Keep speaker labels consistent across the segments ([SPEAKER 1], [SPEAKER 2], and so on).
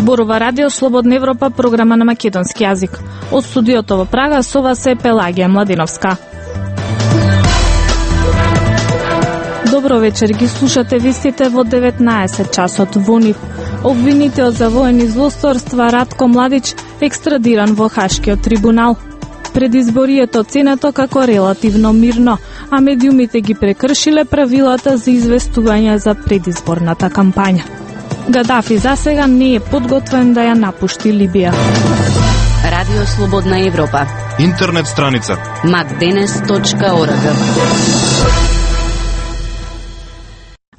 [SPEAKER 1] Зборува Радио Слободна Европа, програма на македонски јазик. Од студиото во Прага со вас е Пелагија Младиновска. Добро вечер, ги слушате вистите во 19 часот во НИВ. Обвинител за воени злосторства Ратко Младич екстрадиран во Хашкиот трибунал. Предизборието оценето како релативно мирно, а медиумите ги прекршиле правилата за известување за предизборната кампања. Гадафи засега не е подготвен да ја напушти Либија.
[SPEAKER 2] Радио Слободна Европа.
[SPEAKER 3] Интернет страница
[SPEAKER 2] macdenes.org.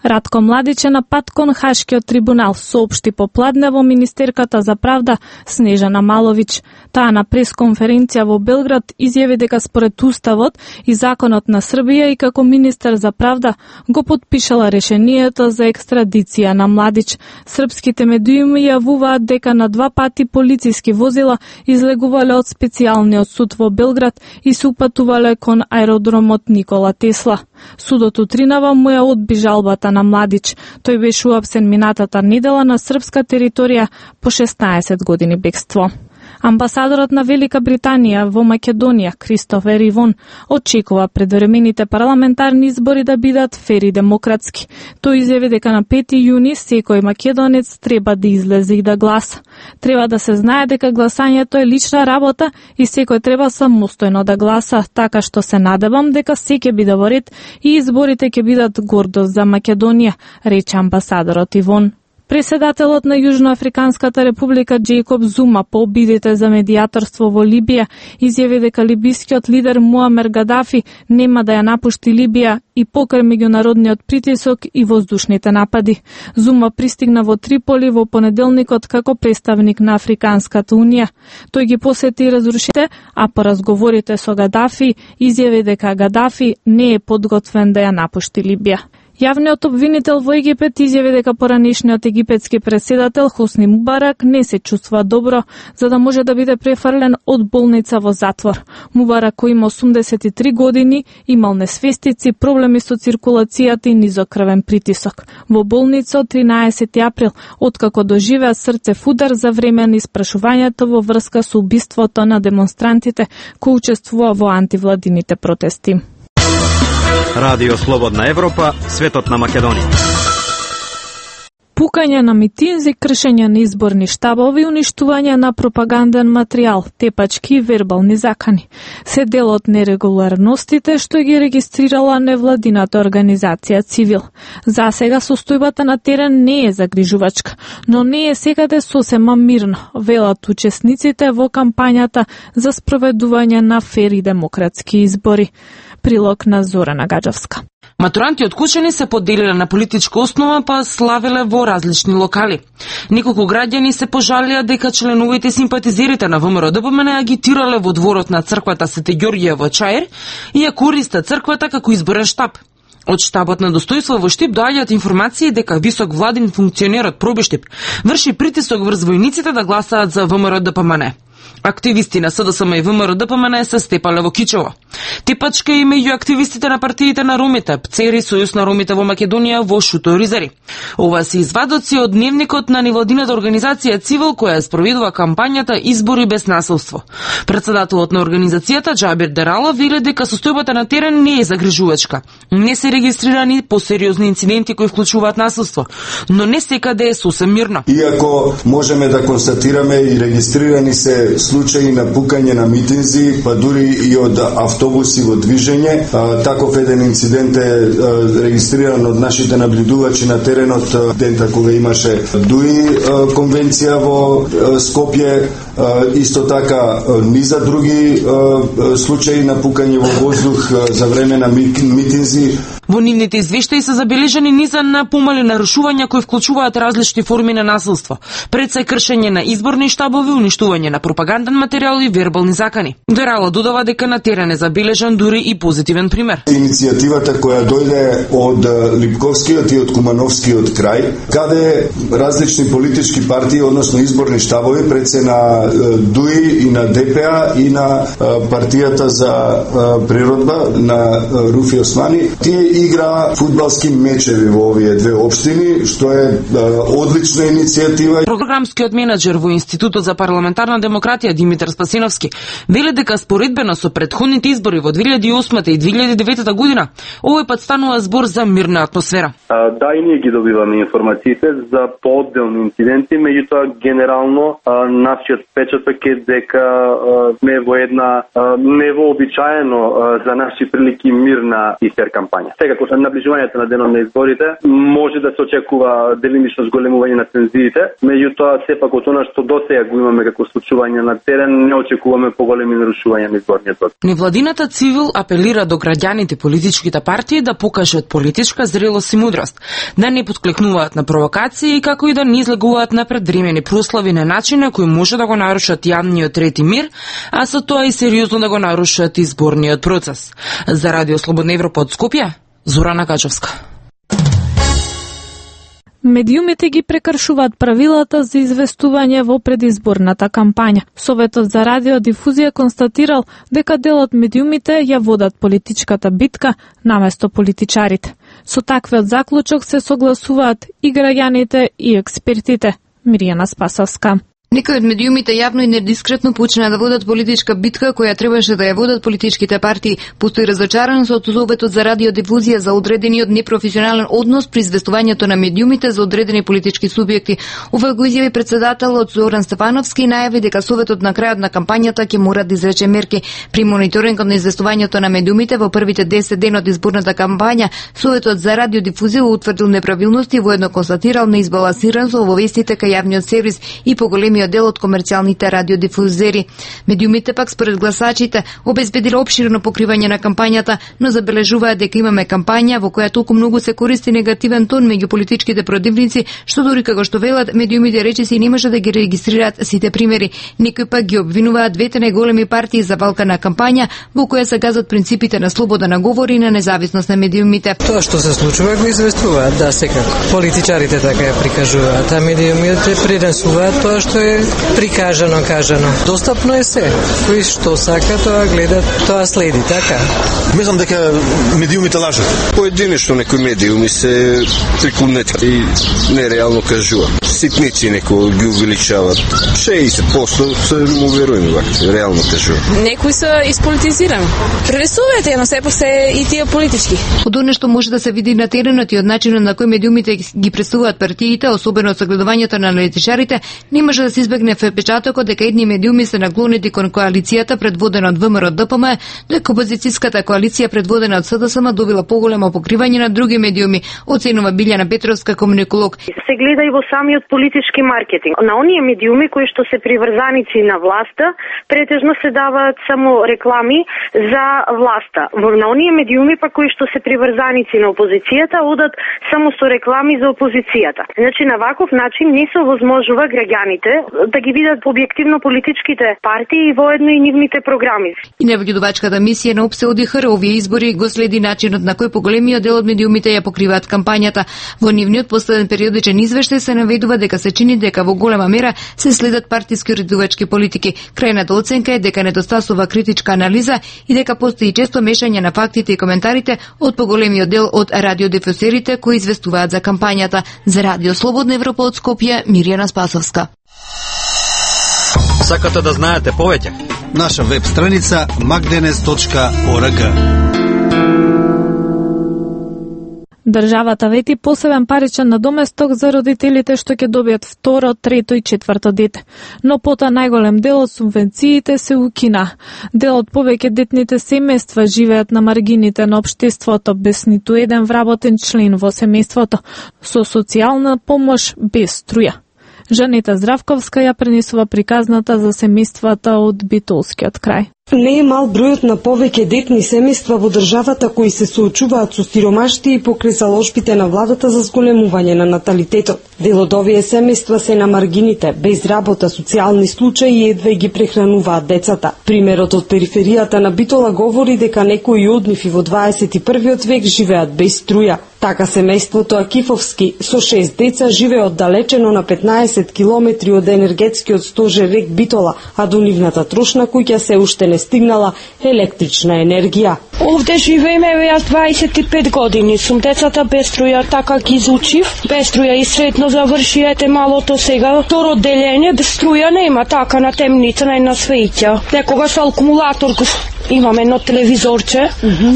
[SPEAKER 1] Ратко Младич е на пат кон Хашкиот трибунал, соопшти попладне во Министерката за правда Снежана Маловиќ. Таа на пресконференција во Белград изјави дека според Уставот и Законот на Србија и како министер за правда го потпишала решението за екстрадиција на Младич. Српските медиуми јавуваат дека на 2 пати полициски возила излегувале од специјалниот суд во Белград и се упатувале кон аеродромот Никола Тесла. Судот утринава му ја одби жалбата на Младич. Тој беше уапсен минатата недела на српска територија по 16 години бегство. Амбасадорот на Велика Британија во Македонија, Кристофер Ивон, очекува предвремените парламентарни избори да бидат фер и демократски. Тој изјави дека на 5 јуни секој македонец треба да излезе и да гласа. Треба да се знае дека гласањето е лична работа и секој треба самостојно да гласа, така што се надевам дека се ќе биде во ред и изборите ќе бидат гордост за Македонија, рече амбасадорот Ивон. Преседателот на Јужноафриканската република Џејкоб Зума по обидите за медијаторство во Либија изјави дека либискиот лидер Муамер Гадафи нема да ја напушти Либија и покрај меѓународниот притисок и воздушните напади. Зума пристигна во Триполи во понеделникот како представник на Африканската унија. Тој ги посети разрушите, а по разговорите со Гадафи изјави дека Гадафи не е подготвен да ја напушти Либија. Јавниот обвинител во Египет изјави дека поранешниот египетски преседател Хосни Мубарак не се чувствува добро, за да може да биде префрлен од болница во затвор. Мубарак, кој има 83 години, имал несвестици, проблеми со циркулацијата и низок крвен притисок. Во болница од 13 април, откако доживеа срцев удар за време на испрашувањето во врска со убиството на демонстрантите кои учествува во антивладините протести.
[SPEAKER 4] Радио Слободна Европа, светот на Македонија.
[SPEAKER 1] Пукање на митинзи, кршење на изборни штабови, уништување на пропаганден материјал, тепачки и вербални закани. Се дел од нерегуларностите што ги регистрирала невладината организација Цивил. Засега состојбата на терен не е загрижувачка, но не е секаде сосема мирно, велат учесниците во кампањата за спроведување на фер и демократски избори. Прилог на Зорана Гаджевска.
[SPEAKER 5] Матуранти од Кучани се поделиле на политичка основа, па славеле во различни локали. Неколку граѓани се пожалија дека членовите и симпатизерите на ВМРО-ДПМН агитирале во дворот на црквата Свети Ѓорѓија во Чаир и ја користат црквата како изборен штаб. Од штабот на достојство во Штип доаѓаат информации дека висок владин функционер од Проби Штип врши притисок врз војниците да гласаат за ВМРО-ДПМН. Активисти на СДСМ и ВМРО-ДПМН се степале во Кичево. Тепачка и меѓу активистите на партиите на ромите, ПЦЕРИ, Сојуз на ромите во Македонија во Шуто Ризари. Ова се извадоци од дневникот на невладината организација Цивил, која спроведува кампањата Избори без насилство. Председателот на организацијата Џабир Дерала вели дека состојбата на терен не е загрижувачка. Не се регистрирани посериозни инциденти кои вклучуваат насилство, но не секаде е сосем мирно.
[SPEAKER 6] Иако можеме да констатираме и регистрирани се случаи на пукање на митинзи, па дури и од автобуси во движење. Таков еден инцидент е регистриран од нашите наблюдувачи на теренот дента кога имаше ДУИ конвенција во Скопје, исто така низа други случаи на пукање во воздух за време на митинзи.
[SPEAKER 5] Во нивните извештаи се забележани низа на помали нарушувања кои вклучуваат различни форми на насилство, пред се кршење на изборни штабови, уништување на пропаганден материјал и вербални закани. Дерала додава дека на терен е забележан дури и позитивен пример.
[SPEAKER 6] Иницијативата која дојде од Липковскиот и од Кумановскиот крај, каде различни политички партии, односно изборни штабови, пред се на ДУИ и на ДПА и на партијата за природба на Руфи Османи, тие игра фудбалски мечеви во овие две општини, што е одлична иницијатива.
[SPEAKER 5] Програмскиот менаџер во Институтот за парламентарна демократија Димитар Спасиновски вели дека споредбено со претходните избори во 2008 и 2009 година, овој пат станува збор за мирна атмосфера.
[SPEAKER 3] Да, и ние ги добиваме информациите за поотделни инциденти, меѓутоа генерално нашиот впечаток е дека сме во една невообичаено за наши прилики мирна и фер кампања. Секако со наближувањето на денот на изборите може да се очекува делимично зголемување на тензиите, меѓутоа сепак од она што досега го имаме како случување на терен, не очекуваме поголеми нарушувања на изборниот процес.
[SPEAKER 5] Невладината цивил апелира до граѓаните политичките партии да покажат политичка зрелост и мудрост, да не подклекнуваат на провокации, како и да не излегуваат на предвремени прослави на начина кои може да го нарушат јавниот ред и мир, а со тоа и сериозно да го нарушат изборниот процес. За Радио Слободна Европа од Скопје, Зорана Качовска.
[SPEAKER 1] Медиумите ги прекршуваат правилата за известување во предизборната кампања. Советот за радиодифузија констатирал дека дел од медиумите ја водат политичката битка наместо политичарите. Со таквиот заклучок се согласуваат и граѓаните и експертите. Миријана Спасовска.
[SPEAKER 7] Некои од медиумите јавно и недискретно почна да водат политичка битка која требаше да ја водат политичките партии. Постои разочараност од Советот за радиодифузија за одредениот непрофесионален однос при известувањето на медиумите за одредени политички субјекти. Ова го изјави председателот Зоран Стефановски и најави дека Советот на крајот на кампањата ќе мора да изрече мерки. При мониторингот на известувањето на медиумите во првите 10 дена од изборната кампања, Советот за радиодифузија утврдил неправилности и воедно констатирал неизбалансираност во вестите кај јавниот сервис и поголеми дел од комерцијалните радиодифузери. Медиумите пак според гласачите обезбедиле опширно покривање на кампањата, но забележуваат дека имаме кампања во која толку многу се користи негативен тон меѓу политичките противници, што дури како што велат медиумите речиси не може да ги регистрираат сите примери. Некои пак ги обвинуваат двете најголеми партии за валка на кампања во која се газат принципите на слобода на говор и на независност на медиумите.
[SPEAKER 8] Тоа што се случува го известуваат, да, секако. Политичарите така ја прикажуваат, а медиумите пренесуваат тоа што е прикажано, кажано. Достапно е се. Кој што сака, тоа гледа, тоа следи, така?
[SPEAKER 9] Мислам дека медиумите лажат. Поединечно некои медиуми се приклонети и нереално кажува. Ситници некои ги увеличават. 60% се му веруваме вака, реално кажува.
[SPEAKER 10] Некои се исполитизирани. Пренесуваат едно сепак се и тие политички.
[SPEAKER 7] Од оно што може да се види на теренот и од начинот на кој медиумите ги представуваат партиите, особено од согледувањето на аналитичарите, не може да се избегне впечатокот дека едни медиуми се наклонети кон коалицијата предводена од ВМРО ДПМ, дека опозицијската коалиција предводена од СДСМ добила поголемо покривање на други медиуми, оценува Билјана Петровска, комуниколог.
[SPEAKER 11] Се гледа и во самиот политички маркетинг. На оние медиуми кои што се приврзаници на власта, претежно се даваат само реклами за власта. На оние медиуми па кои што се приврзаници на опозицијата, одат само со реклами за опозицијата. Значи на ваков начин не се овозможува граѓаните да ги видат објективно политичките партии и воедно и нивните програми.
[SPEAKER 7] И невгидувачката мисија на ОПСЕ ОДИХР овие избори го следи начинот на кој поголемиот дел од медиумите ја покриваат кампањата. Во нивниот последен периодичен извештај се наведува дека се чини дека во голема мера се следат партиски уредувачки политики. Крајната оценка е дека недостасува критичка анализа и дека постои често мешање на фактите и коментарите од поголемиот дел од радиодифузерите кои известуваат за кампањата. За Радио Слободна Европа од Скопје, Миријана Спасовска.
[SPEAKER 4] Сакате да знаете повеќе?
[SPEAKER 12] Наша веб страница magdenes.org.
[SPEAKER 1] Државата вети посебен паричен надоместок за родителите што ќе добијат второ, трето и четврто дете. Но пота најголем дел од субвенциите се укина. Дел од повеќе детните семејства живеат на маргините на општеството без ниту еден вработен член во семејството, со социјална помош без струја. Жанета Здравковска ја пренесува приказната за семејствата од Битолскиот крај.
[SPEAKER 13] Не е мал бројот на повеќе детни семејства во државата кои се соочуваат со сиромаштија и покрај заложбите на владата за зголемување на наталитетот. Дел од овие семејства се на маргините, без работа, социјални случаи и едва ги прехрануваат децата. Примерот од периферијата на Битола говори дека некои од нив и во 21 век живеат без струја. Така семејството Акифовски со 6 деца живее оддалечено на 15 километри од енергетскиот стожер рек Битола, а до нивната трошна куќа се уште не стигнала електрична енергија.
[SPEAKER 14] Овде живееме, јас 25 години сум. Децата без струја така ги изучив. Без струја и средно заврши, ете малото сега. Второ делење, без струја нема, така на темница, на една свеќа. Некогаш акумулатор имаме едно телевизорче,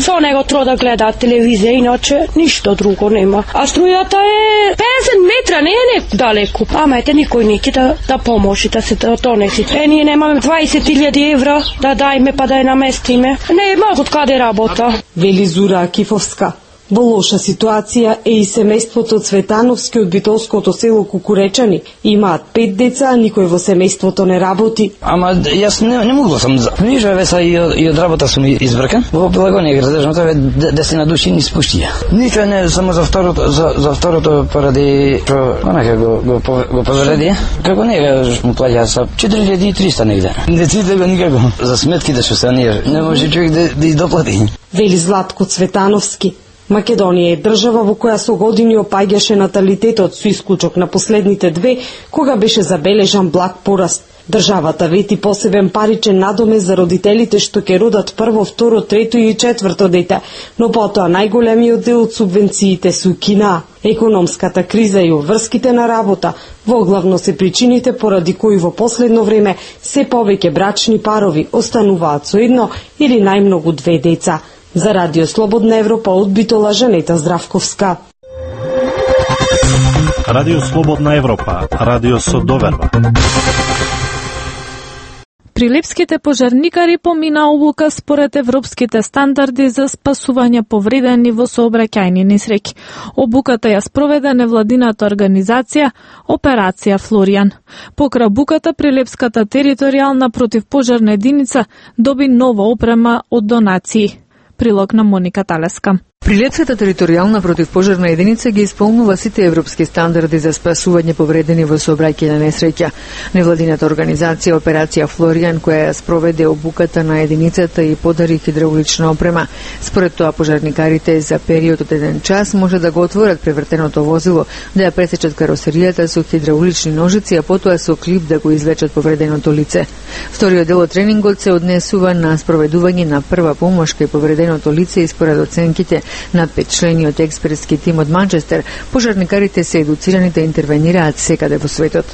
[SPEAKER 14] со него треба да гледаат телевизија, иначе ништо друго нема. А струјата е 50 метра, не е далеко. Ама ете никој неќе да поможи да се донеси. Ние немаме 20.000 евра да дајме па да ја наместиме. Не могат каде работа.
[SPEAKER 13] Вели Зура Акифовска. Во лоша ситуација е и семејството Цветановски од битолското село Кукуречани. Имаат 5 деца, а никој во семејството не работи.
[SPEAKER 15] Ама јас не могу сам. Нижа веса и од работа сум избркан. Во Пелагонија градежното е 10 души ни спуштија. Ништо не само за второто поради онака го повреди. Како не му плаќа са 4300 негде. Не ците го никако. За сметките што се не може човек да доплати.
[SPEAKER 13] Вели Златко Цветановски. Македонија е држава во која со години опаѓаше наталитетот со исклучок на последните 2, кога беше забележан благ пораст. Државата вети посебен паричен надомест за родителите што ќе родат прво, второ, трето и четврто дете, но потоа најголемиот дел од субвенциите се укинаа. Економската криза и обврските на работа воглавно се причините поради кои во последно време се повеќе брачни парови остануваат со едно или најмногу 2 деца. За Радио Слободна Европа од Битола Жанета Здравковска.
[SPEAKER 16] Радио Слободна Европа, радио со доверба.
[SPEAKER 1] Прилепските пожарникари помина обука според европските стандарди за спасување повредени во сообраќајни несреќи. Обуката ја спроведе невладината организација Операција Флоријан. Покра буката, Прилепската територијална противпожарна единица доби нова опрема од донации. Прилог на Моника Талеска.
[SPEAKER 17] Прилепската територијална противпожарна единица ги исполнува сите европски стандарди за спасување повредени во сообраќајна несреќа. Невладината организација Операција Флоријан, која ја спроведе обуката на единицата и подари хидравлична опрема. Според тоа, пожарникарите за период од 1 час може да го отворат превртеното возило, да ја пресечат каросеријата со хидравлични ножици, а потоа со клип да го извлечат повреденото лице. Вториот дел од тренингот се однесува на спроведување на прва помош кај повреденото лице и според оценките на 5-члениот експертски тим од Манчестер, пожарникарите се едуцирани да интервенираат секаде во светот.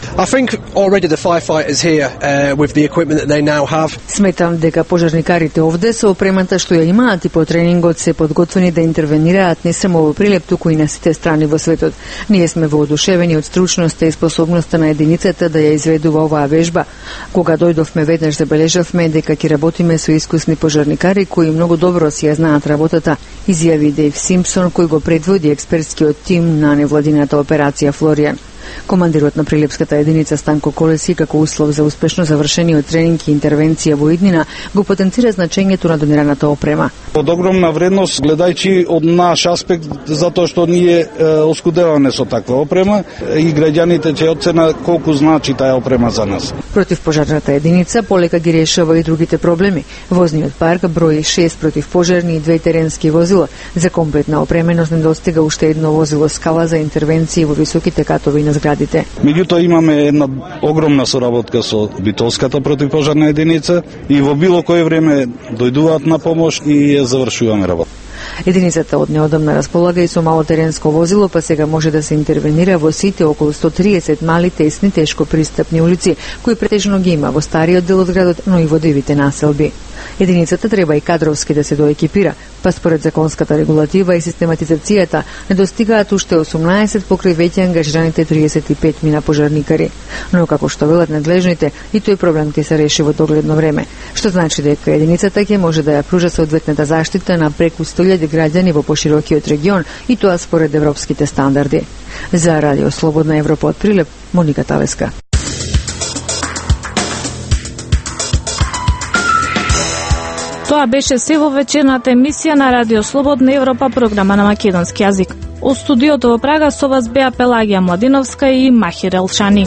[SPEAKER 17] Сметам дека пожарникарите овде со опремата што ја имаат и по тренингот се подготвени да интервенираат не само во Прилеп, туку и на сите страни во светот. Ние сме воодушевени од стручноста и способноста на единицата да ја изведува оваа вежба. Кога дојдовме веднаш забележавме дека ќе работиме со искусни пожарникари кои многу добро си ја знаат работата, изјави Дейв Симпсон, кој го предводи експертскиот тим на невладината Операција Флоријан. Командирот на Прилепската единица Станко Колеси, како услов за успешно завршениот тренинг и интервенција во иднина, го потенцира значењето на донираната опрема.
[SPEAKER 18] Од огромна вредност, гледајќи од наш аспект, затоа што ние оскудеваме со таква опрема и граѓаните ќе оцена колку значи таа опрема за нас.
[SPEAKER 17] Противпожарната единица полека ги решава и другите проблеми. Возниот парк брои 6 противпожарни и 2 теренски возила. За комплетна опременост недостига уште едно возило скала за интервенции во високите катови на зградите.
[SPEAKER 18] Меѓутоа имаме една огромна соработка со Битолската противпожарна единица и во било кое време дојдуваат на помош и ја завршуваме работа.
[SPEAKER 17] Единицата од неодамна располага и со мало теренско возило, па сега може да се интервенира во сите околу 130 мали, тесни, тешко пристапни улици, кои претежно ги има во стариот дел од градот, но и во дивите населби. Единицата треба и кадровски да се доекипира, па според законската регулатива и систематизацијата недостигаат уште 18 покрај веќе ангажираните 35 мина пожарникари. Но како што велат надлежните, и тој проблем ќе се реши во догледно време, што значи дека единицата ќе може да ја пружа соодветната заштита на преку 100.000 граѓани во поширокиот регион, и тоа според европските стандарди. За Радио Слободна Европа од Прилеп, Моника Талеска.
[SPEAKER 1] Тоа беше се во вечерната емисија на Радио Слободна Европа, програма на македонски јазик. Од студиото во Прага со вас беа Пелагија Младиновска и Махир Елшани.